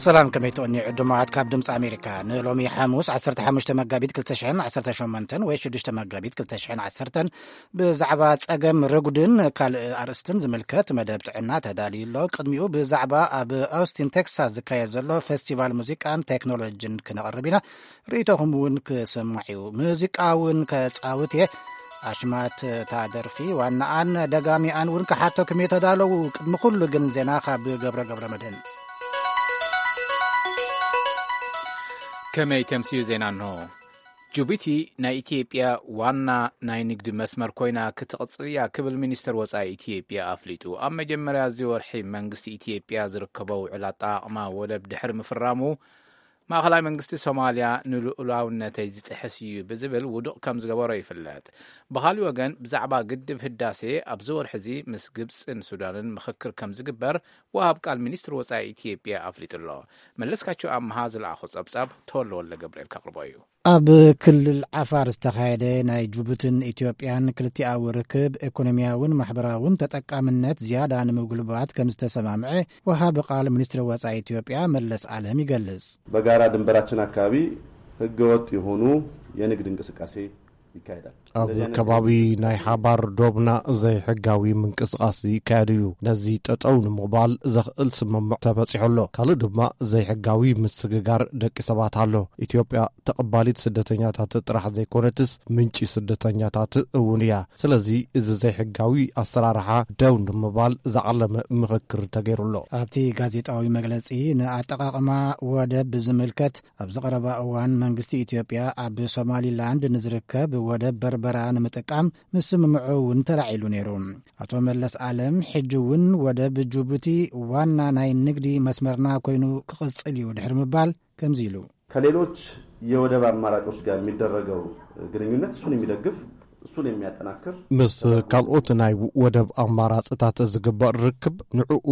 ሰላም፣ ከመይ ትቕኒ ዕዱማት ካብ ድምፂ ኣሜሪካ? ንሎሚ ሓሙስ ዓሰርተ ሓሙሽተ መጋቢት ክልተ ሽሕን ዓሰርተ ሸሞንተን ወይ ሽዱሽተ መጋቢት ክልተ ሽሕን ዓሰርተን ብዛዕባ ጸገም ርጉድን ካልእ ኣርእስትን ዝምልከት መደብ ጥዕና ተዳልዩ ኣሎ። ቅድሚኡ ብዛዕባ ኣብ ኦስቲን ቴክሳስ ዝካየድ ዘሎ ፌስቲቫል ሙዚቃን ቴክኖሎጂን ክነቕርብ ኢና። ርእይቶኹም እውን ክስማዕ እዩ። ሙዚቃ እውን ከጻውት እየ። ኣሽማት እታ ደርፊ ዋናኣን ደጋሚኣን እውን ክሓተኩም እየ ተዳለዉ። ቅድሚ ኩሉ ግን ዜና ካብ ገብረ ገብረ መድህን። ከመይ ተምስዩ ዜና እንሆ። ጅቡቲ ናይ ኢትዮጵያ ዋና ናይ ንግዲ መስመር ኮይና ክትቕጽል እያ ክብል ሚኒስትር ወጻኢ ኢትዮጵያ ኣፍሊጡ። ኣብ መጀመርያ እዚ ወርሒ መንግስቲ ኢትዮጵያ ዝርከቦ ውዕል ኣጠቓቕማ ወደብ ድሕሪ ምፍራሙ፣ ማእኸላይ መንግስቲ ሶማልያ ንልኡላውነተይ ዝጥሕስ እዩ ብዝብል ውዱቕ ከም ዝገበሮ ይፍለጥ። ብኻሊእ ወገን፣ ብዛዕባ ግድብ ህዳሴ ኣብዚ ወርሒ እዚ ምስ ግብፅን ሱዳንን ምኽክር ከም ዝግበር ወሃብ ቃል ሚኒስትር ወፃኢ ኢትዮጵያ ኣፍሊጡ ኣሎ። መለስካቸው ኣምሃ ዝለኣኾ ጸብጻብ ተወልደ ወልደ ገብርኤል ከቕርቦ እዩ። ኣብ ክልል ዓፋር ዝተኻየደ ናይ ጅቡትን ኢትዮጵያን ክልቲኣዊ ርክብ፣ ኢኮኖሚያውን ማሕበራውን ተጠቃምነት ዝያዳ ንምጉልባት ከም ዝተሰማምዐ ወሃቢ ቃል ሚኒስትሪ ወጻኢ ኢትዮጵያ መለስ ኣለም ይገልጽ። በጋራ ድንበራችን አካባቢ ህገወጥ የሆኑ የንግድ እንቅስቃሴ ይካሄዳል። ኣብ ከባቢ ናይ ሓባር ዶብና ዘይሕጋዊ ምንቅስቃስ ይካየድ እዩ። ነዚ ጠጠው ንምባል ዘኽእል ስምምዕ ተበጺሑ ኣሎ። ካልእ ድማ ዘይሕጋዊ ምስግጋር ደቂ ሰባት ኣሎ። ኢትዮጵያ ተቐባሊት ስደተኛታት ጥራሕ ዘይኮነትስ፣ ምንጪ ስደተኛታት እውን እያ። ስለዚ፣ እዚ ዘይሕጋዊ ኣሰራርሓ ደው ንምባል ዝዓለመ ምኽክር ተገይሩ ኣሎ። ኣብቲ ጋዜጣዊ መግለጺ፣ ንኣጠቓቕማ ወደብ ብዝምልከት፣ ኣብዚ ቀረባ እዋን መንግስቲ ኢትዮጵያ ኣብ ሶማሊላንድ ንዝርከብ ወደብ በርበራ ንምጥቃም ምስምምዑ እውን ተላዒሉ ነይሩ። ኣቶ መለስ ኣለም፣ ሕጂ እውን ወደብ ጅቡቲ ዋና ናይ ንግዲ መስመርና ኮይኑ ክቕጽል እዩ ድሕሪ ምባል ከምዚ ኢሉ። ከሌሎች የወደብ አማራጮች ጋር የሚደረገው ግንኙነት እሱን የሚደግፍ፣ እሱን የሚያጠናክር፣ ምስ ካልኦት ናይ ወደብ ኣማራፅታት ዝግበር ርክብ ንዕኡ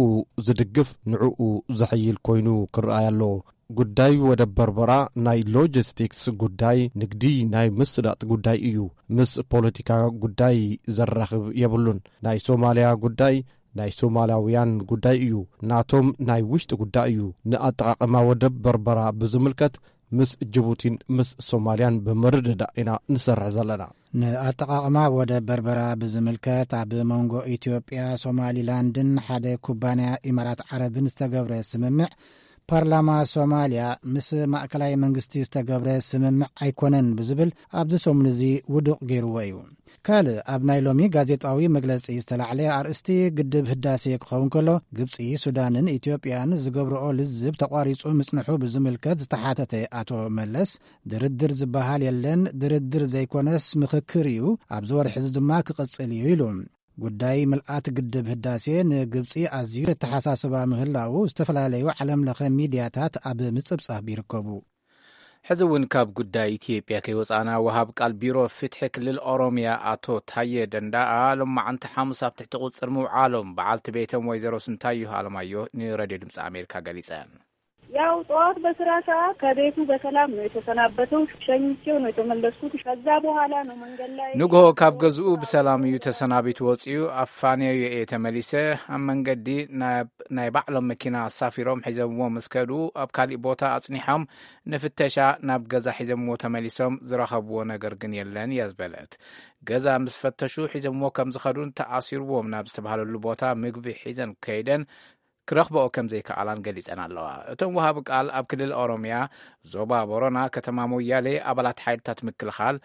ዝድግፍ፣ ንዕኡ ዘሐይል ኮይኑ ክረኣይ ኣለዎ። ጉዳይ ወደብ በርበራ ናይ ሎጂስቲክስ ጉዳይ፣ ንግዲ ናይ ምስላጥ ጉዳይ እዩ። ምስ ፖለቲካ ጉዳይ ዘራኽብ የብሉን። ናይ ሶማልያ ጉዳይ ናይ ሶማላውያን ጉዳይ እዩ። ናቶም ናይ ውሽጢ ጉዳይ እዩ። ንኣጠቓቕማ ወደብ በርበራ ብዝምልከት፣ ምስ ጅቡቲን ምስ ሶማልያን ብምርድዳእ ኢና ንሰርሕ ዘለና። ንኣጠቓቕማ ወደብ በርበራ ብዝምልከት፣ ኣብ መንጎ ኢትዮጵያ፣ ሶማሊላንድን ሓደ ኩባንያ ኢማራት ዓረብን ዝተገብረ ስምምዕ፣ ፓርላማ ሶማልያ ምስ ማእከላይ መንግስቲ ዝተገብረ ስምምዕ ኣይኮነን ብዝብል ኣብዚ ሰሙን እዚ ውዱቕ ገይርዎ እዩ። ካልእ ኣብ ናይ ሎሚ ጋዜጣዊ መግለጺ ዝተላዕለ ኣርእስቲ፣ ግድብ ህዳሴ ክኸውን ከሎ፣ ግብጺ፣ ሱዳንን ኢትዮጵያን ዝገብርኦ ልዝብ ተቋሪጹ ምጽንሑ ብዝምልከት ዝተሓተተ ኣቶ መለስ፣ ድርድር ዝበሃል የለን፣ ድርድር ዘይኮነስ ምኽክር እዩ፣ ኣብዚ ወርሒ እዚ ድማ ክቕጽል እዩ ኢሉ። ጉዳይ ምልኣት ግድብ ህዳሴ ንግብጺ ኣዝዩ ዘተሓሳስባ ምህላዉ ዝተፈላለዩ ዓለም ለኸ ሚድያታት ኣብ ምጽብጻብ ይርከቡ። ሕዚ እውን ካብ ጉዳይ ኢትዮጵያ ከይወጻና፣ ወሃብ ቃል ቢሮ ፍትሒ ክልል ኦሮሚያ ኣቶ ታየ ደንዳኣ፣ ሎማዓንቲ ሓሙስ ኣብ ትሕቲ ቁጽር ምውዓሎም በዓልቲ ቤቶም ወይዘሮ ስንታየሁ ኣለማየሁ ንሬድዮ ድምፂ ኣሜሪካ ገሊጸን። ያው ጠዋት በስራ ሰዓት ከቤቱ በሰላም ነው የተሰናበተው። ሸኝቼው ነው የተመለስኩት። ከዛ በኋላ ነው መንገድ ላይ ንግሆ ካብ ገዝኡ ብሰላም እዩ ተሰናቢቱ ወፂኡ። ኣፋንየዮ እየ ተመሊሰ። ኣብ መንገዲ ናብ ናይ ባዕሎም መኪና ኣሳፊሮም ሒዘምዎ ምስ ከዱ፣ ኣብ ካሊእ ቦታ ኣፅኒሖም ንፍተሻ ናብ ገዛ ሒዘምዎ ተመሊሶም። ዝረኸብዎ ነገር ግን የለን እያ ዝበለት። ገዛ ምስ ፈተሹ፣ ሒዘምዎ ከም ዝኸዱን ተኣሲርዎም ናብ ዝተባህለሉ ቦታ ምግቢ ሒዘን ከይደን ክረኽበኦ ከም ዘይከኣላን ገሊጸን ኣለዋ። እቶም ወሃቢ ቃል፣ ኣብ ክልል ኦሮምያ ዞባ ቦረና ከተማ ሞያሌ ኣባላት ሓይልታት ምክልኻል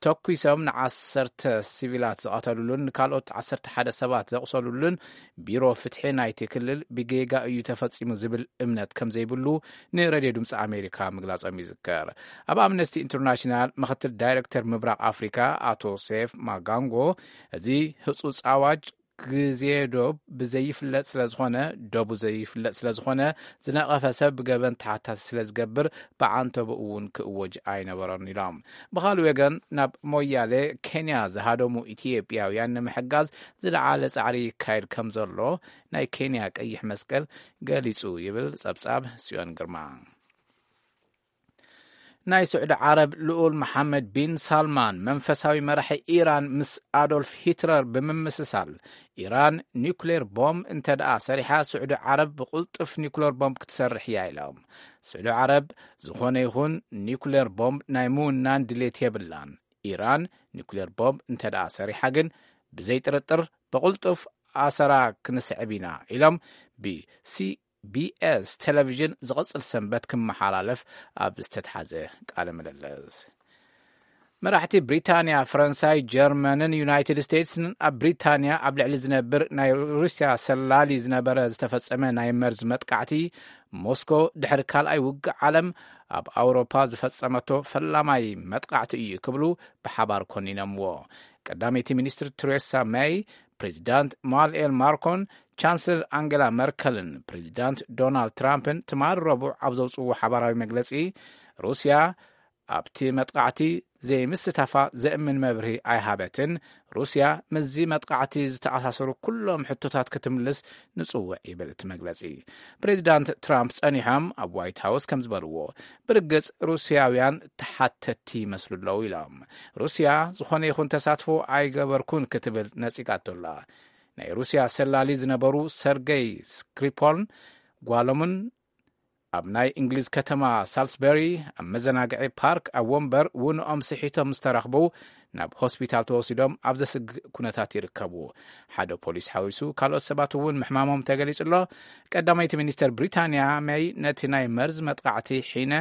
ተኲሶም ንዓሰርተ ሲቪላት ዝቐተሉሉን ንካልኦት ዓሰርተ ሓደ ሰባት ዘቑሰሉሉን፣ ቢሮ ፍትሒ ናይቲ ክልል ብጌጋ እዩ ተፈጺሙ ዝብል እምነት ከም ዘይብሉ ንሬድዮ ድምፂ ኣሜሪካ ምግላጾም ይዝከር። ኣብ ኣምነስቲ ኢንተርናሽናል ምኽትል ዳይሬክተር ምብራቕ ኣፍሪካ ኣቶ ሴፍ ማጋንጎ፣ እዚ ህጹጽ ኣዋጅ ግዜ ዶብ ብዘይፍለጥ ስለ ዝኾነ፣ ዶቡ ዘይፍለጥ ስለ ዝኾነ፣ ዝነቐፈ ሰብ ብገበን ተሓታቲ ስለ ዝገብር፣ ብዓንተቦኡ እውን ክእወጅ ኣይነበሮን ኢሎም። ብኻልእ ወገን፣ ናብ ሞያሌ ኬንያ ዝሃደሙ ኢትዮጵያውያን ንምሕጋዝ ዝለዓለ ጻዕሪ ይካየድ ከም ዘሎ ናይ ኬንያ ቀይሕ መስቀል ገሊጹ ይብል ጸብጻብ ጽዮን ግርማ። ናይ ስዑዲ ዓረብ ልኡል መሓመድ ቢን ሳልማን መንፈሳዊ መራሒ ኢራን ምስ ኣዶልፍ ሂትለር ብምምስሳል፣ ኢራን ኒውክሌር ቦምብ እንተ ደኣ ሰሪሓ፣ ስዑዲ ዓረብ ብቕልጡፍ ኒውክሌር ቦምብ ክትሰርሕ እያ ኢሎም። ስዑዲ ዓረብ ዝኾነ ይኹን ኒውክሌር ቦምብ ናይ ምውናን ድሌት የብላን። ኢራን ኒውክሌር ቦምብ እንተ ደኣ ሰሪሓ ግን፣ ብዘይ ጥርጥር ብቕልጡፍ ኣሰራ ክንስዕብ ኢና ኢሎም። ብሲ ቢኤስ ቴሌቪዥን ዝቕጽል ሰንበት ክመሓላለፍ ኣብ ዝተትሓዘ ቃለ ምልልስ፣ መራሕቲ ብሪታንያ፣ ፈረንሳይ፣ ጀርመንን ዩናይትድ ስቴትስን ኣብ ብሪታንያ ኣብ ልዕሊ ዝነብር ናይ ሩስያ ሰላሊ ዝነበረ ዝተፈጸመ ናይ መርዝ መጥቃዕቲ፣ ሞስኮ ድሕሪ ካልኣይ ውግእ ዓለም ኣብ ኣውሮፓ ዝፈጸመቶ ፈላማይ መጥቃዕቲ እዩ ክብሉ ብሓባር ኮኒኖምዎ። ቀዳመይቲ ሚኒስትር ቴሬሳ ሜይ፣ ፕሬዚዳንት ኢማኑኤል ማክሮን፣ ቻንስለር ኣንገላ መርከልን ፕሬዚዳንት ዶናልድ ትራምፕን ትማሊ ረቡዕ ኣብ ዘውፅዎ ሓባራዊ መግለፂ፣ ሩስያ ኣብቲ መጥቃዕቲ ዘይምስታፋ ዘእምን መብርሂ ኣይሃበትን። ሩስያ ምስዚ መጥቃዕቲ ዝተኣሳሰሩ ኩሎም ሕቶታት ክትምልስ ንጽውዕ ይብል እቲ መግለጺ። ፕሬዚዳንት ትራምፕ ጸኒሖም ኣብ ዋይት ሃውስ ከም ዝበልዎ፣ ብርግጽ ሩስያውያን ተሓተትቲ ይመስሉ ኣለዉ ኢሎም። ሩስያ ዝኾነ ይኹን ተሳትፎ ኣይገበርኩን ክትብል ነጺጋቶ ኣላ። ናይ ሩስያ ሰላሊ ዝነበሩ ሰርገይ ስክሪፖልን ጓሎምን ኣብ ናይ እንግሊዝ ከተማ ሳልስበሪ ኣብ መዘናግዒ ፓርክ ኣብ ወንበር ውንኦም ስሒቶም ዝተረኽቡ ናብ ሆስፒታል ተወሲዶም ኣብ ዘስግእ ኩነታት ይርከቡ። ሓደ ፖሊስ ሓዊሱ ካልኦት ሰባት እውን ምሕማሞም ተገሊጹ ኣሎ። ቀዳመይቲ ሚኒስተር ብሪታንያ ሜይ ነቲ ናይ መርዝ መጥቃዕቲ ሒነ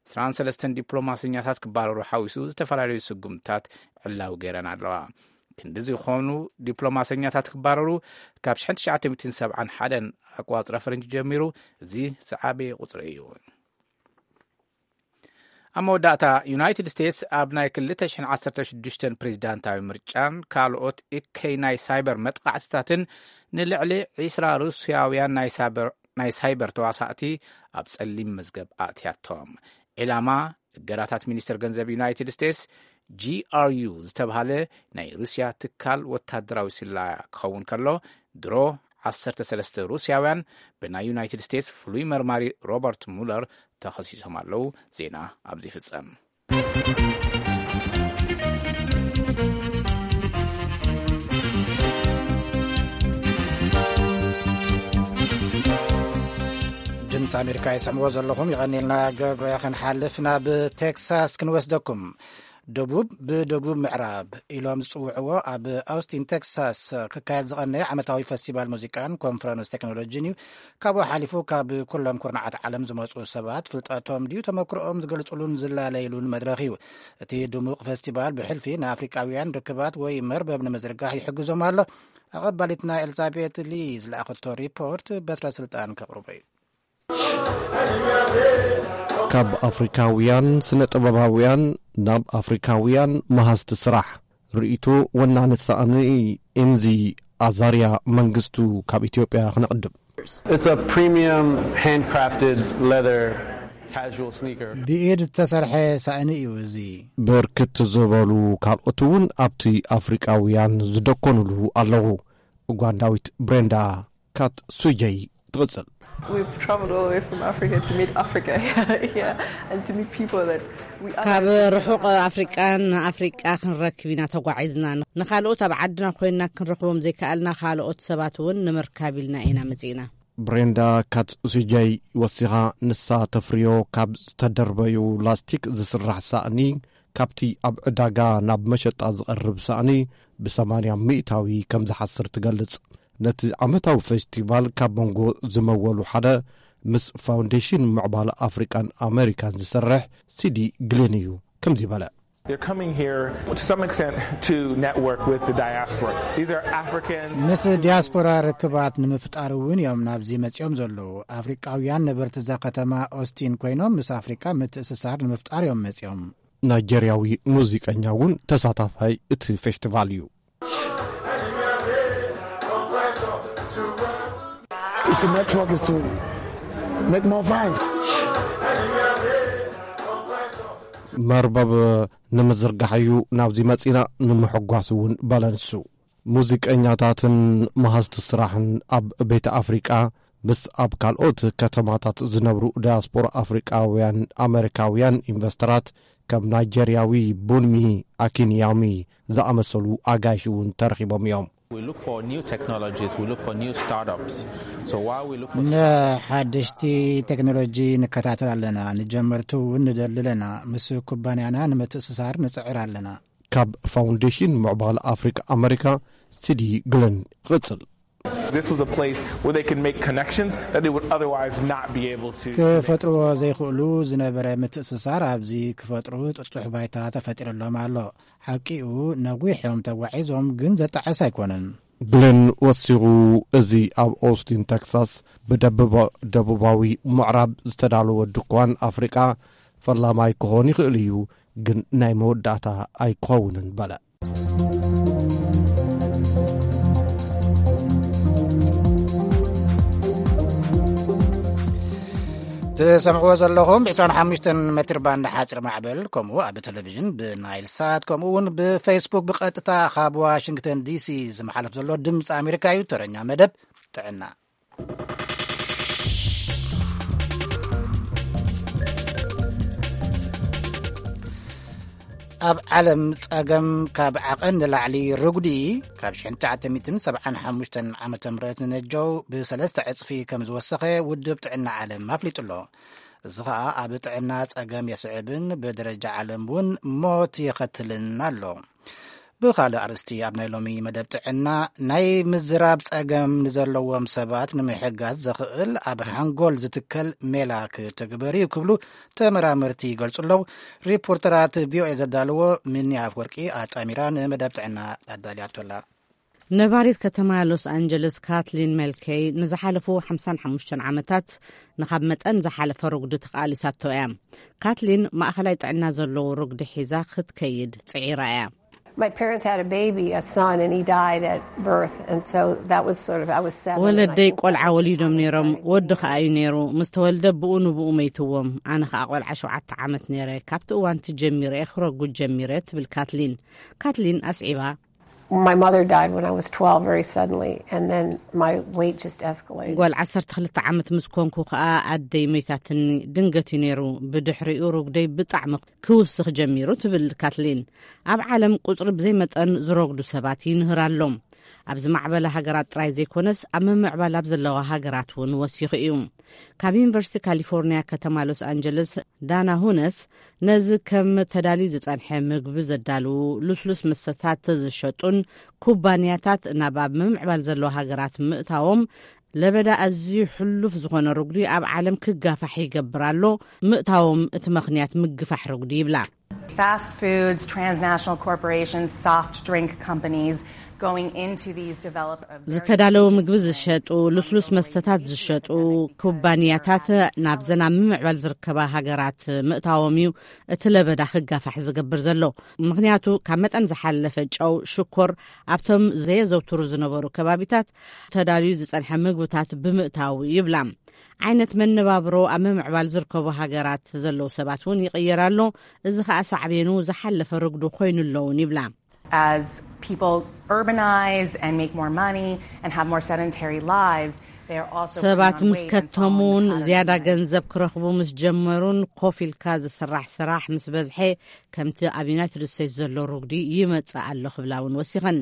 ዕስራን ሰለስተን ዲፕሎማሰኛታት ክባረሩ ሓዊሱ ዝተፈላለዩ ስጉምትታት ዕላዊ ገይረን ኣለዋ። ክንዲ ዝኾኑ ዲፕሎማሰኛታት ክባረሩ ካብ ሽሕን ትሽዓተ ሚእትን ሰብዓን ሓደን ኣቋጽራ ፈረንጂ ጀሚሩ እዚ ዝዓበየ ቁጽሪ እዩ። ኣብ መወዳእታ፣ ዩናይትድ ስቴትስ ኣብ ናይ ክልተ ሽሕን ዓሰርተ ሽዱሽተን ፕሬዚዳንታዊ ምርጫን ካልኦት እከይ ናይ ሳይበር መጥቃዕትታትን ንልዕሊ ዒስራ ሩስያውያን ናይ ሳይበር፣ ናይ ሳይበር ተዋሳእቲ ኣብ ጸሊም መዝገብ ኣእትያቶም። ዒላማ እገዳታት ሚኒስተር ገንዘብ ዩናይትድ ስቴትስ፣ ጂ ኣር ዩ ዝተብሃለ ናይ ሩስያ ትካል ወታደራዊ ስለላ ክኸውን ከሎ፣ ድሮ ዓሰርተ ሰለስተ ሩስያውያን ብናይ ዩናይትድ ስቴትስ ፍሉይ መርማሪ ሮበርት ሙለር ተኸሲሶም ኣለዉ። ዜና ኣብዚ ይፍጸም። ድምፂ ኣሜሪካ ይሰምዎ ዘለኹም። ይቐኒልና ገብረ። ክንሓልፍ ናብ ቴክሳስ ክንወስደኩም። ደቡብ ብደቡብ ምዕራብ ኢሎም ዝጽውዕዎ ኣብ ኣውስቲን ቴክሳስ ክካየድ ዝቐነየ ዓመታዊ ፈስቲቫል ሙዚቃን ኮንፈረንስ ቴክኖሎጂን እዩ። ካብኡ ሓሊፉ ካብ ኩሎም ኩርናዓት ዓለም ዝመጹ ሰባት ፍልጠቶም ድዩ ተመክሮኦም ዝገልጹሉን ዝላለይሉን መድረኽ እዩ። እቲ ድሙቕ ፈስቲቫል ብሕልፊ ንኣፍሪቃውያን ርክባት ወይ መርበብ ንምዝርጋሕ ይሕግዞም ኣሎ። ኣቐባሊትና ኤልዛቤት ሊ ዝለኣኸቶ ሪፖርት በትረ ስልጣን ከቕርቦ እዩ። ካብ ኣፍሪካውያን ስነ ጥበባውያን ናብ ኣፍሪካውያን መሃዝቲ ስራሕ ርእይቶ ወናኒ ሳእኒ ኤምዚ ኣዛርያ መንግስቱ ካብ ኢትዮጵያ ክነቕድም። It's a premium handcrafted leather casual sneaker. ብኢድ ዝተሰርሐ ሳእኒ እዩ እዚ። ብርክት ዝበሉ ካልኦት እውን ኣብቲ ኣፍሪቃውያን ዝደኮኑሉ ኣለዉ። ኡጋንዳዊት ብሬንዳ ካት ሱጀይ ትቕጽል። We've traveled all the way from Africa to meet Africa here and to meet people that we ካብ otherwise ርሑቕ ኣፍሪቃ ንኣፍሪቃ ክንረክብ ኢና ተጓዒዝና። ንኻልኦት ኣብ ዓድና ኮይንና ክንረኽቦም ዘይከኣልና ካልኦት ሰባት እውን ንምርካብ ኢልና ኢና መጺእና። ብሬንዳ ካት ሱጀይ ወሲኻ፣ ንሳ ተፍርዮ ካብ ዝተደርበዩ ላስቲክ ዝስራሕ ሳእኒ፣ ካብቲ ኣብ ዕዳጋ ናብ መሸጣ ዝቐርብ ሳእኒ ብሰማንያ ሚእታዊ ከም ዝሓስር ትገልጽ። ነቲ ዓመታዊ ፈስቲቫል ካብ መንጎ ዝመወሉ ሓደ ምስ ፋውንዴሽን ምዕባለ ኣፍሪቃን ኣሜሪካን ዝሰርሕ ሲዲ ግሊን እዩ ከምዚ በለ። They're coming here to some extent to network with the diaspora. These are Africans. ምስ ዲያስፖራ ርክባት ንምፍጣር እውን እዮም ናብዚ መጺኦም ዘለዉ። ኣፍሪቃውያን ነበርቲ እዛ ከተማ ኦስቲን ኮይኖም ምስ ኣፍሪቃ ምትእስሳር ንምፍጣር እዮም መጺኦም። ናይጀርያዊ ሙዚቀኛ እውን ተሳታፋይ እቲ ፌስቲቫል እዩ። It's a network, is to make more fans. መርበብ ንምዝርጋሕ እዩ ናብዚ መጺና፣ ንምሕጓስ እውን በለ ንሱ። ሙዚቀኛታትን መሃዝቲ ስራሕን ኣብ ቤተ ኣፍሪቃ ምስ ኣብ ካልኦት ከተማታት ዝነብሩ ዳያስፖራ ኣፍሪቃውያን ኣመሪካውያን ኢንቨስተራት፣ ከም ናይጀርያዊ ቡንሚ ኣኪንያሚ ዝኣመሰሉ ኣጋይሽ እውን ተረኺቦም እዮም። We look for new technologies, we look for new startups. So while we look for ንሓደሽቲ ቴክኖሎጂ ንከታተል ኣለና፣ ንጀመርቲ እውን ንደሊ ኣለና። ምስ ኩባንያና ንምትእስሳር ንጽዕር ኣለና። ካብ ፋውንዴሽን ምዕባለ ኣፍሪቃ ኣመሪካ፣ ሲዲ ግለን ይቕጽል። This was a place where they could make connections that they would otherwise not be able to. ክፈጥርዎ ዘይክእሉ ዝነበረ ምትእስሳር ኣብዚ ክፈጥሩ ጥጡሕ ባይታ ተፈጢርሎም ኣሎ። ሓቂኡ፣ ነዊሕ እዮም ተጓዒዞም፣ ግን ዘጣዕስ ኣይኮነን። ግለን ወሲኹ፣ እዚ ኣብ ኦስቲን ቴክሳስ ብደቡባ-፣ ደቡባዊ ምዕራብ ዝተዳለወ ድኳን ኣፍሪቃ ፈላማይ ክኾን ይኽእል እዩ፣ ግን ናይ መወዳእታ ኣይክኸውንን በለ። ትሰምዕዎ ዘለኹም ብ25 ሜትር ባንድ ሓፂር ማዕበል፣ ከምኡ ኣብ ቴሌቪዥን ብናይል ሳት፣ ከምኡ እውን ብፌስቡክ ብቐጥታ ካብ ዋሽንግተን ዲሲ ዝመሓለፍ ዘሎ ድምፂ ኣሜሪካ እዩ። ተረኛ መደብ ጥዕና። ኣብ ዓለም ጸገም ካብ ዓቐን ንላዕሊ ርጉዲ ካብ ሽሕን ትሽዓተ ሚእትን ሰብዓን ሓሙሽተን ዓመተ ምህረት ንነጀው ብሰለስተ ዕጽፊ ከም ዝወሰኸ ውድብ ጥዕና ዓለም ኣፍሊጡ ኣሎ። እዚ ኸኣ ኣብ ጥዕና ጸገም የስዕብን ብደረጃ ዓለም እውን ሞት የኸትልን ኣሎ። ብኻልእ ኣርእስቲ፣ ኣብ ናይ ሎሚ መደብ ጥዕና፣ ናይ ምዝራብ ጸገም ንዘለዎም ሰባት ንምሕጋዝ ዘኽእል ኣብ ሓንጎል ዝትከል ሜላ ክትግበር እዩ ክብሉ ተመራመርቲ ይገልጹ ኣለዉ። ሪፖርተራት ቪኦኤ ዘዳለዎ ሚኒ ኣፍወርቂ ኣጣሚራ ንመደብ ጥዕና ኣዳልያቶ ኣላ። ነባሪት ከተማ ሎስ ኣንጀለስ ካትሊን ሜልከይ ንዝሓለፉ ሓምሳን ሓሙሽተን ዓመታት ንኻብ መጠን ዝሓለፈ ርጉዲ ተቓሊሳቶ እያ። ካትሊን ማእኸላይ ጥዕና ዘለዎ ርጉዲ ሒዛ ክትከይድ ጽዒራ እያ። My parents had a baby, a son, and he died at birth, and so that was sort of, I was seven, and I ወለደይ think that ቆልዓ was the ወሊዶም time ነይሮም፣ starting ወዲ to ከኣ እዩ ነይሩ። ምስ ተወልደ ብኡ ንብኡ መይትዎም። ኣነ ከኣ ቆልዓ ሸውዓተ ዓመት ነይረ። ካብቲ እዋንቲ ጀሚረ እየ ክረጉድ ጀሚረ፣ ትብል ካትሊን። ካትሊን ኣስዒባ፣ My mother died when I was twelve very suddenly, and then my weight just escalated. ጓል ዓሰርተ ክልተ ዓመት ምስ ኮንኩ ከኣ ኣደይ መይታትኒ። ድንገት እዩ ነይሩ። ብድሕሪኡ ርጉደይ ብጣዕሚ ክውስኽ ጀሚሩ፣ ትብል ካትሊን። ኣብ ዓለም ቁጽሪ ብዘይ መጠን ዝረጉዱ ሰባት ይንህር ኣሎ። ኣብ ዝማዕበላ ሃገራት ጥራይ ዘይኮነስ፣ ኣብ ምምዕባል ኣብ ዘለዋ ሃገራት እውን ወሲኹ እዩ። ካብ ዩኒቨርሲቲ ካሊፎርኒያ ከተማ ሎስ ኣንጀለስ ዳና ሁነስ፣ ነዚ ከም ተዳልዩ ዝጸንሐ ምግቢ ዘዳልዉ፣ ልስሉስ መስተታት ዝሸጡን ኩባንያታት ናብ ኣብ ምምዕባል ዘለዋ ሃገራት ምእታዎም፣ ለበዳ ኣዝዩ ሕሉፍ ዝኾነ ርጉዲ ኣብ ዓለም ክጋፋሕ ይገብር ኣሎ። ምእታዎም እቲ ምኽንያት ምግፋሕ ርጉዲ ይብላ። Fast foods, transnational corporations, soft drink companies going into these developed, uh, very ዝተዳለወ ምግቢ ዝሸጡ፣ ልስሉስ መስተታት ዝሸጡ ኩባንያታት ናብዘን ኣብ ምምዕባል ዝርከባ ሃገራት ምእታዎም እዩ እቲ ለበዳ ክጋፋሕ ዝገብር ዘሎ። ምኽንያቱ ካብ መጠን ዝሓለፈ ጨው፣ ሽኮር ኣብቶም ዘየዘውትሩ ዝነበሩ ከባቢታት ተዳልዩ ዝጸንሐ ምግብታት ብምእታው ይብላ። ዓይነት መነባብሮ ኣብ ምምዕባል ዝርከቡ ሃገራት ዘለዉ ሰባት እውን ይቕየር ኣሎ። እዚ ኸኣ ሳዕቤኑ ዝሓለፈ ርጉዲ ኮይኑ ኣለውን ይብላ። As people urbanize and make more money and have more sedentary lives, they are also putting ሰባት on ምስ weight and fall in the ከተሙን economy. ዝያዳ ገንዘብ ክረኽቡ ምስ ጀመሩን ኮፍ ኢልካ ዝስራሕ ስራሕ ምስ በዝሐ፣ ከምቲ ኣብ ዩናይትድ ስቴትስ ዘሎ ርጉዲ ይመጽእ ኣሎ ክብላ እውን ወሲኸን።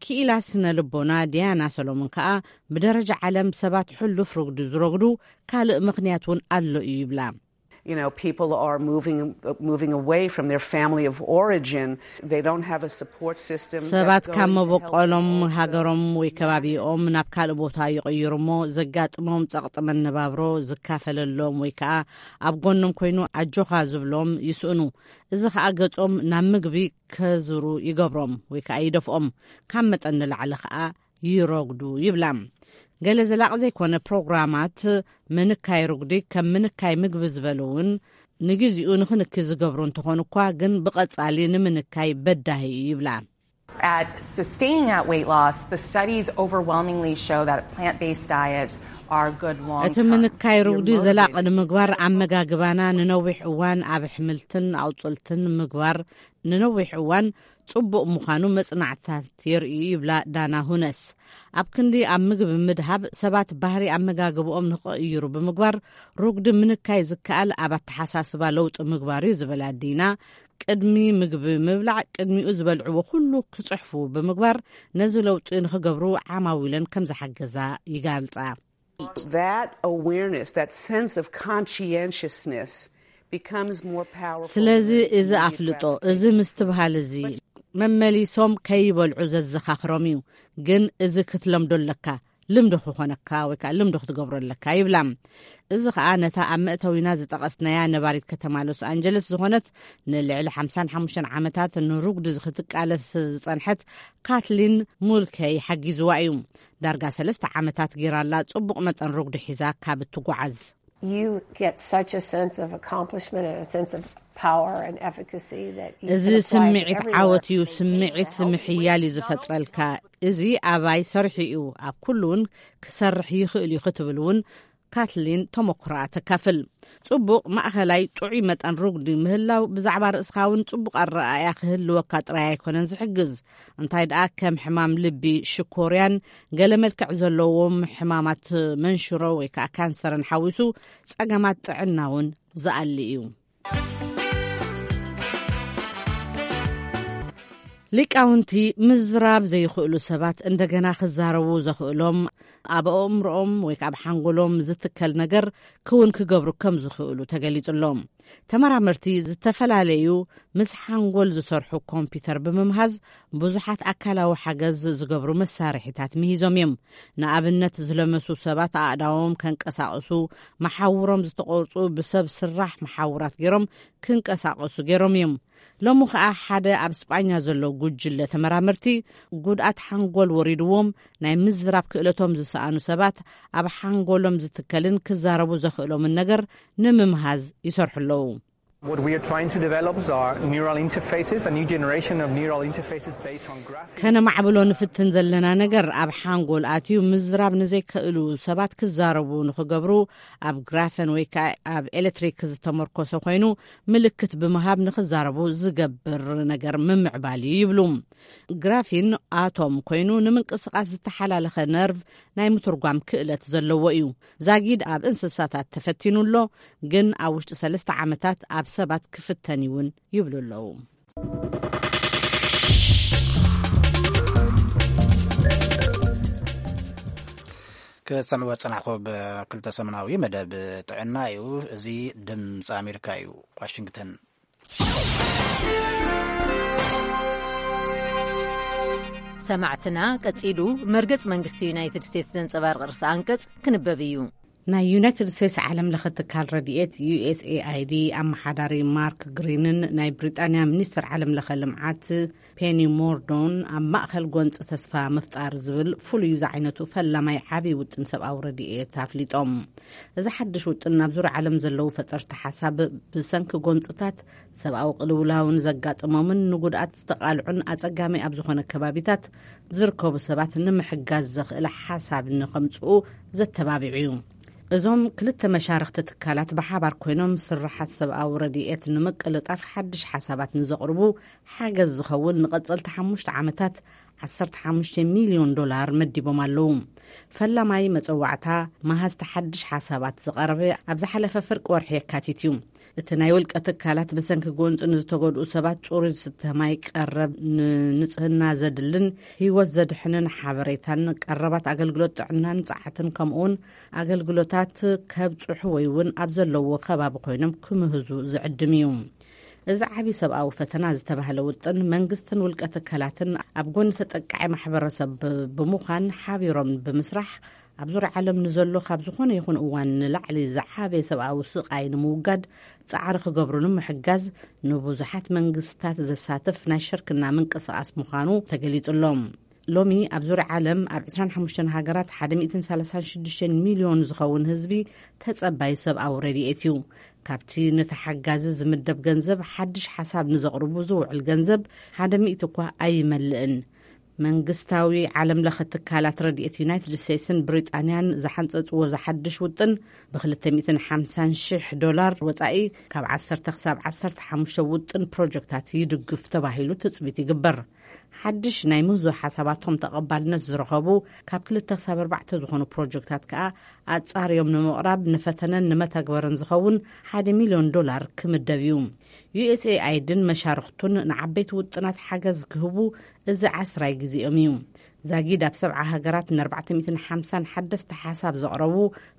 ክኢላ ስነ ልቦና ዲያና ሰሎሞን ከኣ፣ ብደረጃ ዓለም ሰባት ሕሉፍ ርጉዲ ዝረጉዱ ካልእ ምኽንያት እውን ኣሎ እዩ ይብላ። You know, people are moving, moving away from their family of origin. They don't have a support system that ሰባት ካብ goes to help them መበቆሎም also ሃገሮም ወይ ከባቢኦም ናብ ካልእ ቦታ ይቕይሩ እሞ፣ ዘጋጥሞም ጸቕጢ መነባብሮ ዝካፈለሎም ወይ ከኣ ኣብ ጎኖም ኮይኑ ኣጆኻ ዝብሎም ይስእኑ። እዚ ከኣ ገጾም ናብ ምግቢ ከዝሩ ይገብሮም ወይ ከኣ ይደፍኦም። ካብ መጠን ንላዕሊ ከኣ ይረጉዱ ይብላ። ገለ ዘላቒ ዘይኮነ ፕሮግራማት ምንካይ ርጉዲ ከም ምንካይ ምግቢ ዝበሉ እውን ንግዜኡ ንኽንኪ ዝገብሩ እንተኾኑ እኳ፣ ግን ብቐጻሊ ንምንካይ በዳሂ እዩ ይብላ። At sustaining that weight loss, the studies overwhelmingly show that plant-based diets are good long-term. እቲ ምንካይ ርጉዲ ዘላቒ ንምግባር ኣመጋግባና ንነዊሕ እዋን ኣብ ኣሕምልትን ኣቑጽልትን ምግባር ንነዊሕ እዋን ጽቡቕ ምዃኑ መጽናዕትታት የርእዩ ይብላ ዳና ሁነስ። ኣብ ክንዲ ኣብ ምግቢ ምድሃብ ሰባት ባህሪ ኣመጋግብኦም ንኽቕይሩ ብምግባር ሩግዲ ምንካይ ዝከኣል ኣብ ኣተሓሳስባ ለውጢ ምግባር እዩ ዝበላ ዲና፣ ቅድሚ ምግቢ ምብላዕ ቅድሚኡ ዝበልዕዎ ኩሉ ክጽሕፉ ብምግባር ነዚ ለውጢ ንኽገብሩ ዓማዊለን ከም ዝሓገዛ ይገልጻ። That awareness, that sense of conscientiousness becomes more powerful. ስለዚ እዚ ኣፍልጦ፣ እዚ ምስትብሃል እዚ መመሊሶም ከይበልዑ ዘዘኻኽሮም እዩ። ግን እዚ ክትለምዶ ኣለካ፣ ልምዲ ክኾነካ ወይ ከዓ ልምዲ ክትገብሮ ኣለካ ይብላ። እዚ ከዓ ነታ ኣብ መእተዊና ዝጠቐስናያ ነባሪት ከተማ ሎስ ኣንጀለስ ዝኾነት ንልዕሊ ሓምሳን ሓሙሽተን ዓመታት ንሩግዲ ክትቃለስ ዝጸንሐት ካትሊን ሙልከይ ሓጊዝዋ እዩ። ዳርጋ ሰለስተ ዓመታት ጌራላ ጽቡቕ መጠን ሩግዲ ሒዛ ካብ እትጓዓዝ። You get such a sense of accomplishment and a sense of power and efficacy that you እዚ can apply it ስምዒት everywhere. ዓወት እዩ። ስምዒት ምሕያል እዩ ዝፈጥረልካ። እዚ ኣባይ ሰርሒ እዩ፣ ኣብ ኩሉ እውን ክሰርሕ ይኽእል እዩ ክትብል እውን ካትሊን ተመኩሮኣ ተካፍል። ጽቡቕ ማእኸላይ ጥዑይ መጠን ሩግዲ ምህላው ብዛዕባ ርእስኻ እውን ጽቡቕ ኣረኣእያ ክህልወካ ጥራይ ኣይኮነን ዝሕግዝ። እንታይ ደኣ ከም ሕማም ልቢ፣ ሽኮርያን ገለ መልክዕ ዘለዎም ሕማማት መንሽሮ ወይ ከዓ ካንሰርን ሓዊሱ ጸገማት ጥዕና እውን ዝኣሊ እዩ። ሊቃውንቲ ምዝራብ ዘይኽእሉ ሰባት እንደገና ክዛረቡ ዘኽእሎም ኣብ ኣእምሮኦም ወይ ከዓ ኣብ ሓንጎሎም ዝትከል ነገር ክውን ክገብሩ ከም ዝኽእሉ ተገሊጹሎም። ተመራመርቲ ዝተፈላለዩ ምስ ሓንጎል ዝሰርሑ ኮምፒውተር ብምምሃዝ ብዙሓት ኣካላዊ ሓገዝ ዝገብሩ መሳርሒታት ምሂዞም እዮም። ንኣብነት ዝለመሱ ሰባት ኣእዳዎም ከንቀሳቕሱ፣ መሓውሮም ዝተቖርጹ ብሰብ ስራሕ መሓውራት ገይሮም ክንቀሳቐሱ ገይሮም እዮም። ሎሚ ኸኣ ሓደ ኣብ ስጳኛ ዘሎ ጉጅለ ተመራመርቲ ጉድኣት ሓንጎል ወሪድዎም ናይ ምዝራብ ክእለቶም ዝሰኣኑ ሰባት ኣብ ሓንጎሎም ዝትከልን ክዛረቡ ዘኽእሎምን ነገር ንምምሃዝ ይሰርሑ ኣለዉ። What we are trying to develop is our neural interfaces, a new generation of neural interfaces based on graphics. ከነማዕብሎ ንፍትን ዘለና ነገር ኣብ ሓንጎል ኣትዩ ምዝራብ ንዘይክእሉ ሰባት ክዛረቡ ንኽገብሩ ኣብ ግራፈን ወይ ከዓ ኣብ ኤሌክትሪክ ዝተመርኮሰ ኮይኑ ምልክት ብምሃብ ንኽዛረቡ ዝገብር ነገር ምምዕባል እዩ ይብሉ። ግራፊን ኣቶም ኮይኑ ንምንቅስቓስ ዝተሓላለኸ ነርቭ ናይ ምትርጓም ክእለት ዘለዎ እዩ። ዛጊድ ኣብ እንስሳታት ተፈቲኑ ኣሎ፣ ግን ኣብ ውሽጢ ሰለስተ ዓመታት ኣብ ሰባት ክፍተን እውን ይብሉ ኣለዉ። ክሰምዕዎ ዝጸናሕኩ ብክልተ ሰሙናዊ መደብ ጥዕና እዩ። እዚ ድምፂ ኣሜሪካ እዩ፣ ዋሽንግተን። ሰማዕትና፣ ቀጺሉ መርገጽ መንግስቲ ዩናይትድ ስቴትስ ዘንጸባርቕ ርእሰ ኣንቀጽ ክንበብ እዩ። ናይ ዩናይትድ ስቴትስ ዓለም ለኸ ትካል ረድኤት ዩ ኤስ ኤ ኣይ ዲ ኣመሓዳሪ ማርክ ግሪንን ናይ ብሪጣንያ ሚኒስትር ዓለም ለኸ ልምዓት ፔኒ ሞርዶን ኣብ ማእኸል ጎንፂ ተስፋ ምፍጣር ዝብል ፍሉይ ዝዓይነቱ ፈላማይ ዓብዪ ውጥን ሰብኣዊ ረድኤት ኣፍሊጦም። እዚ ሓድሽ ውጥን ናብ ዙርያ ዓለም ዘለዉ ፈጠርቲ ሓሳብ ብሰንኪ ጎንፅታት ሰብኣዊ ቅልውላውን ዘጋጥሞምን ንጉድኣት ዝተቓልዑን ኣጸጋሚ ኣብ ዝኾነ ከባቢታት ዝርከቡ ሰባት ንምሕጋዝ ዘኽእል ሓሳብ ንኸምጽኡ ዘተባቢዑ እዩ። እዞም ክልተ መሻርኽቲ ትካላት ብሓባር ኮይኖም ስርሓት ሰብኣዊ ረድኤት ንምቅልጣፍ ሓድሽ ሓሳባት ንዘቕርቡ ሓገዝ ዝኸውን ንቐጸልቲ ሓሙሽተ ዓመታት ዓሰርተ ሓሙሽተ ሚልዮን ዶላር መዲቦም ኣለዉ። ፈላማይ መጸዋዕታ መሃዝቲ ሓድሽ ሓሳባት ዝቐረበ ኣብ ዝሓለፈ ፍርቂ ወርሒ የካቲት እዩ። እቲ ናይ ውልቀ ትካላት ብሰንኪ ጎንፂ ንዝተጎድኡ ሰባት ጽሩይ ዝስተ ማይ፣ ቀረብ ንንጽህና ዘድልን ህይወት ዘድሕንን ሓበሬታን ቀረባት ኣገልግሎት ጥዕናን ጸዓትን ከምኡውን ኣገልግሎታት ከብጽሑ ወይ እውን ኣብ ዘለዎ ከባቢ ኮይኖም ክምህዙ ዝዕድም እዩ። እዚ ዓቢ ሰብኣዊ ፈተና ዝተባህለ ውጥን መንግስትን ውልቀ ትካላትን ኣብ ጎኒ ተጠቃዒ ማሕበረሰብ ብምዃን ሓቢሮም ብምስራሕ ኣብ ዙርያ ዓለም ንዘሎ ካብ ዝኾነ ይኹን እዋን ንላዕሊ ዝዓበየ ሰብኣዊ ስቓይ ንምውጋድ ጻዕሪ ክገብሩ ንምሕጋዝ ንብዙሓት መንግስታት ዘሳትፍ ናይ ሽርክና ምንቅስቓስ ምዃኑ ተገሊጹ ኣሎ። ሎሚ ኣብ ዙርያ ዓለም ኣብ ዕስራን ሓሙሽተን ሃገራት ሓደ ሚእትን ሰላሳን ሽዱሽተን ሚልዮን ዝኸውን ህዝቢ ተጸባይ ሰብኣዊ ረድኤት እዩ። ካብቲ ነቲ ሓጋዚ ዝምደብ ገንዘብ ሓድሽ ሓሳብ ንዘቕርቡ ዝውዕል ገንዘብ ሓደ ሚእቲ እኳ ኣይመልእን። መንግስታዊ ዓለም ለኸ ትካላት ረድኤት ዩናይትድ ስቴትስን ብሪጣንያን ዝሓንጸጽዎ ዝሓድሽ ውጥን፣ ብ250,000 ዶላር ወጻኢ ካብ ዓሰርተ ክሳብ ዓሰርተ ሓሙሽተ ውጥን ፕሮጀክታት ይድግፍ ተባሂሉ ትጽቢት ይግበር። ሓድሽ ናይ ምህዞ ሓሳባቶም ተቐባልነት ዝረኸቡ ካብ ክልተ ክሳብ ኣርባዕተ ዝኾኑ ፕሮጀክታት ከኣ ኣጻርዮም ንምቕራብ፣ ንፈተነን ንመተግበርን ዝኸውን ሓደ ሚልዮን ዶላር ክምደብ እዩ። ዩ ኤስ ኤ ኣይ ድን መሻርኽቱን ንዓበይቲ ውጥናት ሓገዝ ክህቡ እዚ ዓስራይ ግዜኦም እዩ። ዛጊድ ኣብ ሰብዓ ሃገራት ን ኣርባዕተ ሚእትን ሓምሳን ሓደስቲ ሓሳብ ዘቕረቡ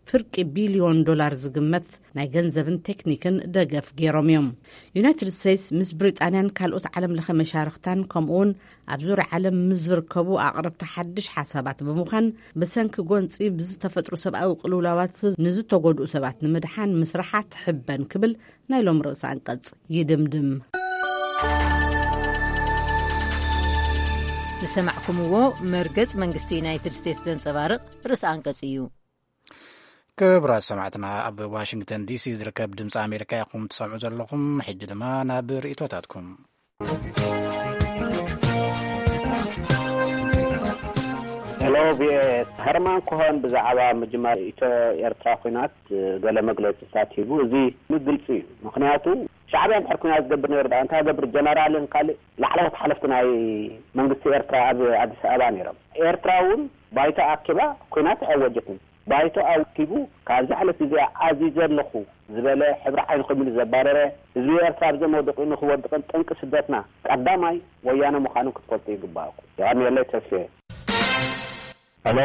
ፍርቂ ቢልዮን ዶላር ዝግመት ናይ ገንዘብን ቴክኒክን ደገፍ ገይሮም እዮም። ዩናይትድ ስቴትስ ምስ ብሪጣንያን ካልኦት ዓለም ለኸ መሻርኽታን ከምኡውን ኣብ ዙርያ ዓለም ምስ ዝርከቡ ኣቕረብቲ ሓድሽ ሓሳባት ብምዃን፣ ብሰንኪ ጎንፂ ብዝተፈጥሩ ሰብኣዊ ቅልውላዋት ንዝተጎድኡ ሰባት ንምድሓን ምስራሓ ትሕበን ክብል ናይ ሎም ርእሰ ኣንቀጽ ይድምድም። ዝሰማዕኩምዎ መርገጽ መንግስቲ ዩናይትድ ስቴትስ ዘንጸባርቕ ርእሰ ኣንቀጽ እዩ። ክቡራት ሰማዕትና፣ ኣብ ዋሽንግተን ዲሲ ዝርከብ ድምፂ ኣሜሪካ ኢኹም ትሰምዑ ዘለኹም። ሕጂ ድማ ናብ ርእይቶታትኩም። ሄሎ፣ ቪኦኤ፣ ሀርማን ኮኸን ብዛዕባ ምጅማር ኢትዮ ኤርትራ ኲናት ገለ መግለጺታት ሂቡ። እዚ ግልጺ እዩ። ምኽንያቱ፣ ሻዕብያ እንድሕር ኲናት ዝገብር ነይሩ፣ ደኣ እንታይ ገብር? ጀነራልን ካልእ ላዕለዎት ሓለፍቲ ናይ መንግስቲ ኤርትራ ኣብ ኣዲስ ኣበባ ነይሮም። ኤርትራ እውን ባይቶ ኣኪባ ኲናት ኣወጀትን። ባይቶ ኣኪቡ፣ ካብዚ ዕለት እዚኣ ኣዚዘ ኣለኹ ዝበለ፣ ሕብሪ ዓይኒ ኮይኑ ዘባረረ፣ ህዝቢ ኤርትራ ኣብ ዘመውድቕ ንኽወድቕን ጠንቂ ስደትና ቀዳማይ ወያነ ምዃኑ ክትፈልጡ ይግባእኩም። የቐንየለይ። ተስፌ። ሄሎ፣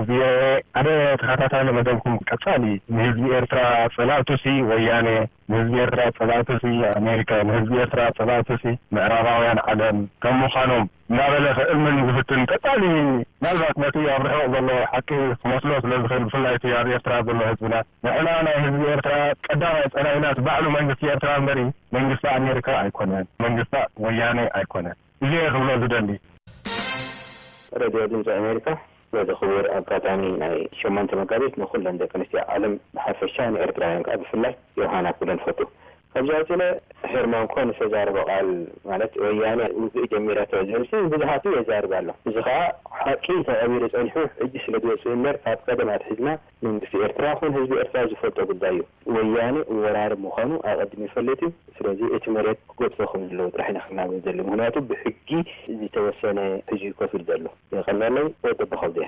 ቪኦኤ፣ ሓደ ተኸታታሊ መደብኩም ቀጻሊ፣ ንህዝቢ ኤርትራ ጸላእቱሲ ወያነ፣ ንህዝቢ ኤርትራ ጸላእቱሲ ኣሜሪካ፣ ንህዝቢ ኤርትራ ጸላእቱሲ ምዕራባውያን ዓለም ከም ምዃኖም እናበለ ክእምን ዝፍትን ቀጻሊ፣ ምናልባት ነቲ ኣብ ርሑቕ ዘሎ ሓቂ ክመስሎ ስለ ዝኽእል፣ ብፍላይ እቲ ኣብ ኤርትራ ዘሎ ህዝብና፣ ንሕና ናይ ህዝቢ ኤርትራ ቀዳማይ ጸላኢናት ባዕሉ መንግስቲ ኤርትራ እምበሪ መንግስቲ ኣሜሪካ ኣይኮነን፣ መንግስቲ ወያነ ኣይኮነን። እዚ እየ ክብሎ ዝደሊ። ሬድዮ ድምፂ ኣሜሪካ፣ በዚ ክቡር ኣጋጣሚ ናይ ሸሞንተ መጋቢት ንኹለን ደቂ ኣንስትዮ ዓለም ብሓፈሻ፣ ንኤርትራውያን ከዓ ብፍላይ ዮሃና ክብለን ፈቱ። ካብዚ ቀፂለ፣ ሄርማን ኮን ዝተዛረቦ ቃል፣ ማለት ወያነ ውግእ ጀሚራቶ ዝብል ሲ ብዙሓቱ የዛርብ ኣሎ። እዚ ከዓ ሓቂ ተቐቢሩ ፀኒሑ፣ ሕጂ ስለ ዝወፅእ እምበር፣ ካብ ቀደም ኣትሒዝና መንግስቲ ኤርትራ ኮን ህዝቢ ኤርትራ ዝፈልጦ ጉዳይ እዩ። ወያነ ወራሪ ምዃኑ ኣቐዲሙ ይፈልጥ እዩ። ስለዚ እቲ መሬት ክገድፎ ከም ዘለዎ ጥራሕ ኢና ክናገር ዘሎ። ምኽንያቱ ብሕጊ ዝተወሰነ ሕጂ እዩ ኮፍ ኢሉ ዘሎ። የቐንየለይ። ወዲ ኣቦ ከብደ።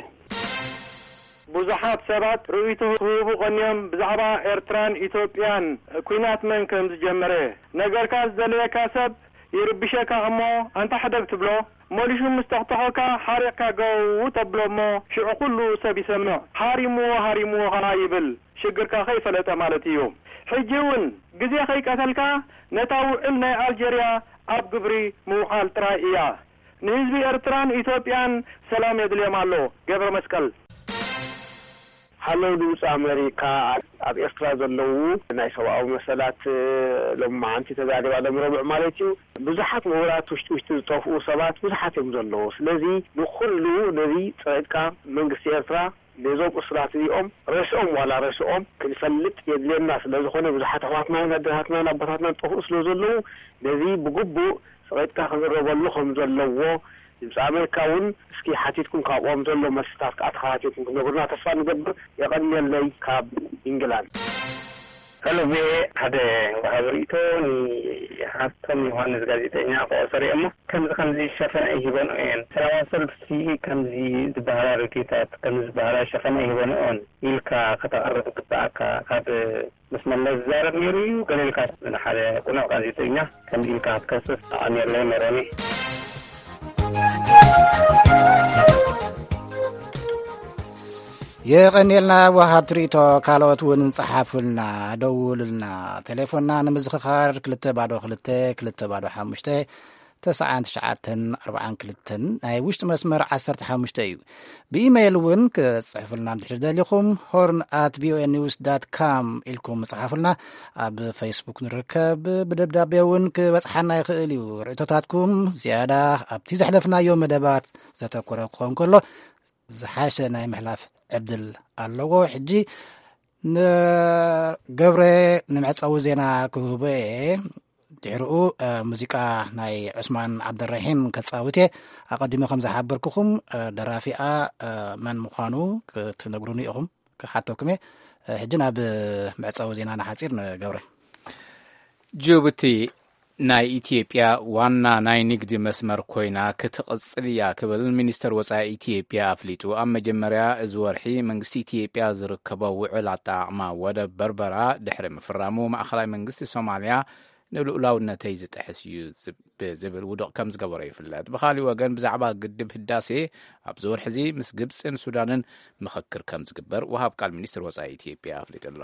ብዙሓት ሰባት ርእይቶ ክህቡ ቀንዮም ብዛዕባ ኤርትራን ኢትዮጵያን፣ ኲናት መን ከም ዝጀመረ። ነገርካ ዝደለየካ ሰብ ይርብሸካ እሞ ኣንታ ሕደግ ትብሎ፣ መሊሹ ምስ ጠቕጠቖካ ሓሪቕካ ገው ተብሎ እሞ ሽዑ ኩሉ ሰብ ይሰምዕ። ሃሪምዎ ሃሪምዎ ኸኣ ይብል። ሽግርካ ከይፈለጠ ማለት እዩ። ሕጂ እውን ግዜ ከይቀተልካ ነታ ውዕል ናይ ኣልጀርያ ኣብ ግብሪ ምውዓል ጥራይ እያ። ንህዝቢ ኤርትራን ኢትዮጵያን ሰላም የድልዮም ኣሎ። ገብረ መስቀል። ሃለው ድምፂ ኣሜሪካ፣ ኣብ ኤርትራ ዘለዉ ናይ ሰብኣዊ መሰላት ሎሚ መዓንቲ ተዛሪባ ሎም ረቡዕ ማለት እዩ። ብዙሓት ምሁራት ውሽጢ ውሽጢ ዝጠፍኡ ሰባት ብዙሓት እዮም ዘለዉ። ስለዚ ንኩሉ ነዚ ፀቂጥካ መንግስቲ ኤርትራ ነዞም እሱራት እዚኦም ርእሶም ዋላ ርእሶም ክንፈልጥ የድልየና ስለ ዝኾነ፣ ብዙሓት ኣሕዋትናን ኣዴታትናን ኣቦታትናን ጠፍኡ ስለ ዘለዉ፣ ነዚ ብግቡእ ፀቂጥካ ክዝረበሉ ከም ዘለዎ፣ ድምፂ ኣሜሪካ እውን እስኪ ሓቲትኩም ካብኦም ዘሎ መልስታት ከዓ ተኸታቲልኩም ክትነግሩና ተስፋ ንገብር። የቐንየለይ ካብ ኢንግላንድ። ሄሎ ቪኦኤ፣ ሓደ ወሃቢ ርእይቶ ንሃብቶም ዮሃንስ ጋዜጠኛ ክቆጸር እየ እሞ፣ ከምዚ ከምዚ ሸፈነ ኣይሂበንኦ እየን። ሰላማዊ ሰልፊ ከምዚ ዝበሃላ ርጌታት፣ ከምዚ ዝበሃላ ሸፈነ ኣይሂበንኦን ኢልካ ከተቕርብ ግብኣካ። ካብ ምስ መለስ ዝዛረብ ነይሩ እዩ፣ ገለ ኢልካ ንሓደ ቅኑዕ ጋዜጠኛ ከምዚ ኢልካ ክትከስስ ኣቐንየለይ ሜሮኒ። የቐንየልና ወሃብቲ ርእይቶ። ካልኦት እውን ጸሓፉልና፣ ደውሉልና። ቴሌፎንና ንምዝኽኻር ክልተ ባዶ ክልተ፣ ክልተ ባዶ ሓሙሽተ፣ ተስዓን ትሽዓተን ኣርባዓን ክልተን፣ ናይ ውሽጢ መስመር ዓሰርተ ሓሙሽተ እዩ። ብኢሜይል እውን ክትጽሕፉልና እንድሕር ደሊኹም፣ ሆርን ኣት ቪኦኤ ኒውስ ዳት ካም ኢልኩም ጸሓፉልና። ኣብ ፌስቡክ ንርከብ። ብደብዳቤ እውን ክበጽሓና ይኽእል እዩ። ርእይቶታትኩም ዝያዳ ኣብቲ ዘሕለፍናዮ መደባት ዘተኮረ ክኸውን ከሎ፣ ዝሓሸ ናይ ምሕላፍ ዕድል ኣለዎ። ሕጂ ንገብረ ንመዕጸዊ ዜና ክህቦ እየ። ድሕሪኡ፣ እ፣ ሙዚቃ ናይ ዑስማን ዓብደራሒም ከጻውት እየ። ኣቐዲሙ ከም ዝሓበርኩኹም፣ እ፣ ደራፊኣ፣ እ፣ መን ምዃኑ ክትነግሩኒ ኢኹም፣ ክሓተኩም እየ። እ፣ ሕጂ ናብ መዕጸዊ ዜናና ሓጺር ንገብረ። ጅቡቲ ናይ ኢትዮጵያ ዋና ናይ ንግዲ መስመር ኮይና ክትቕጽል እያ ክብል ሚኒስተር ወጻኢ ኢትዮጵያ ኣፍሊጡ። ኣብ መጀመርያ እዚ ወርሒ መንግስቲ ኢትዮጵያ ዝርከቦ ውዕል ኣጠቓቕማ ወደብ በርበራ ድሕሪ ምፍራሙ፣ ማእኸላይ መንግስቲ ሶማልያ ንልኡላውነተይ ዝጥሕስ እዩ ዝብ-፣ ብዝብል ውዱቕ ከም ዝገበሮ ይፍለጥ። ብኻሊእ ወገን፣ ብዛዕባ ግድብ ህዳሴ ኣብዚ ወርሒ እዚ ምስ ግብጽን ሱዳንን ምኽክር ከም ዝግበር ወሃብ ቃል ሚኒስትር ወጻኢ ኢትዮጵያ ኣፍሊጡ ኣሎ።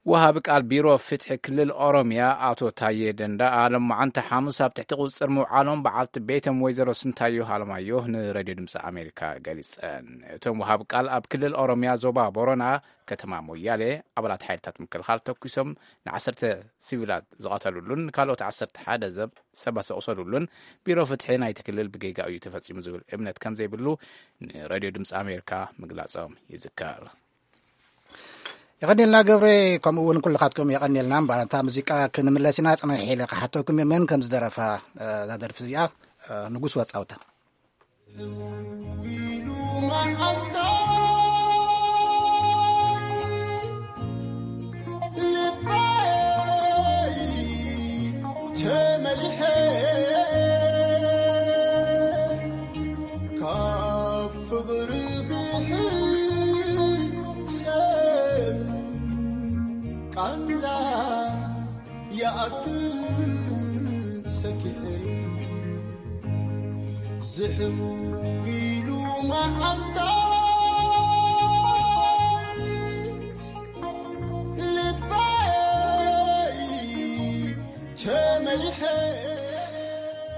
ወሃቢ ቃል ቢሮ ፍትሒ ክልል ኦሮምያ ኣቶ ታዬ ደንዳኣ፣ ሎማዓንቲ ሓሙስ ኣብ ትሕቲ ቁጽጽር ምውዓሎም በዓልቲ ቤቶም ወይዘሮ ስንታዮ ሃለማዮ ንሬድዮ ድምፂ ኣሜሪካ ገሊጸን። እቶም ወሃቢ ቃል ኣብ ክልል ኦሮምያ ዞባ ቦረና ከተማ ሞያሌ ኣባላት ሓይልታት ምክልኻል ተኩሶም ንዓሰርተ ሲቪላት ዝቐተሉሉን ካልኦት ዓሰርተ ሓደ ዘብ-፣ ሰባት ዘቑሰሉሉን ቢሮ ፍትሒ ናይቲ ክልል ብጌጋ እዩ ተፈጺሙ ዝብል እምነት ከም ዘይብሉ ንሬድዮ ድምፂ ኣሜሪካ ምግላጾም ይዝከር። የቐኒልና ገብረ፣ ከምኡ እውን ኩልኻትኩም የቐኒልና። እምበኣር፣ እታ ሙዚቃ ክንምለስ ኢና። ጽንሕ ኢለ ክሓተኩም እየ፣ መን ከም ዝደረፋ፣ እ፣ እዛ ደርፊ እዚኣ፣ እ፣ ንጉስ ወጻውታ።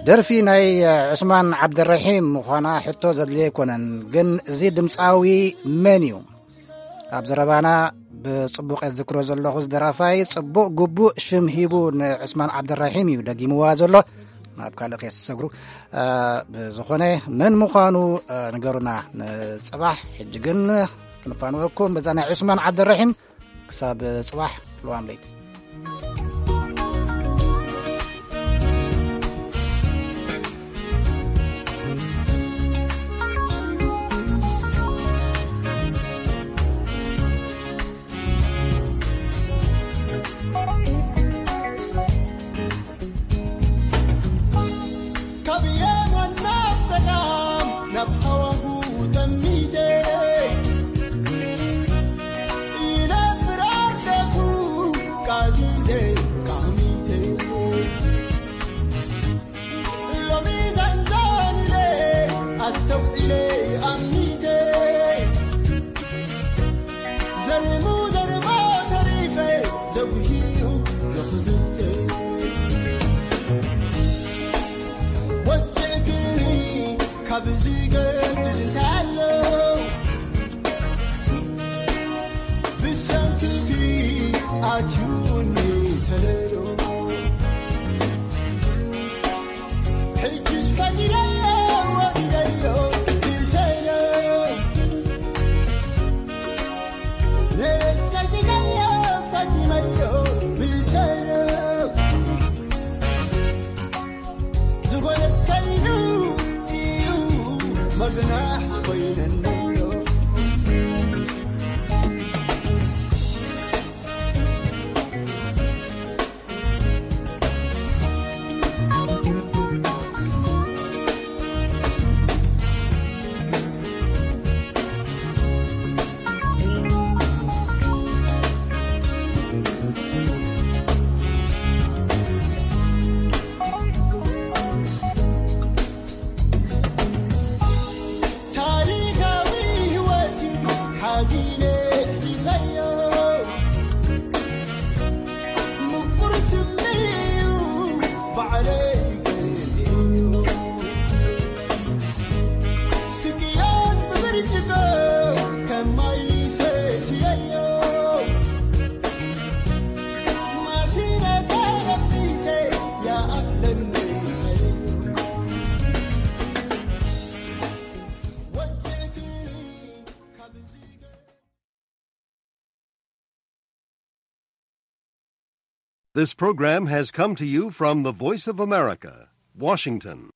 ደርፊ ናይ ዑስማን ዓብደረሒም ምዃና ሕቶ ዘድልዮ ኣይኮነን። ግን እዚ ድምፃዊ መን እዩ? ኣብ ዘረባና ብጽቡቕ የዝክሮ ዘለኹ፣ እዚ ደራፋይ ጽቡቕ ግቡእ ሽም ሂቡ ንዑስማን ዓብደራሒም እዩ ደጊምዋ ዘሎ። ናብ ካልእ ከየሰግሩ። እ፣ ብዝኾነ፣ መን ምዃኑ፣ እ፣ ንገሩና ንጽባሕ። ሕጂ ግን ክንፋንወኩም በዛ ናይ ዑስማን ዓብደራሒም። ክሳብ ጽባሕ፣ ልዋም ለይቲ። ካብ የማን ናብ ጸጋም ናብ ሃዋሁ ጠሚተ ይነብር ኣለኹ ቃዚዘ ቃሚተ። ሎሚ ዘንዘን ኢለ ኣስተውዒለ ኣሚተ። ዘርሙ ዘርሞ ተሪፈ ዘጉሂኡ ዘኽዝተ። ወፅእክኒ ካብዚ ገድል እንታይ ኣሎ? ብሰንክኺ ኣትዩኒ ተለሎ። ሕጅስ ፈዲለዮ ወዲለዮ ብልተዮ። ነስነጊገዮ ፈዲመዮ ብልተዮ። ዝኾነት ከይኑ እዩ መግናሕ ኮይነኒ ኣሎ። ታሪኻዊ This program has come to you from the Voice of America, Washington.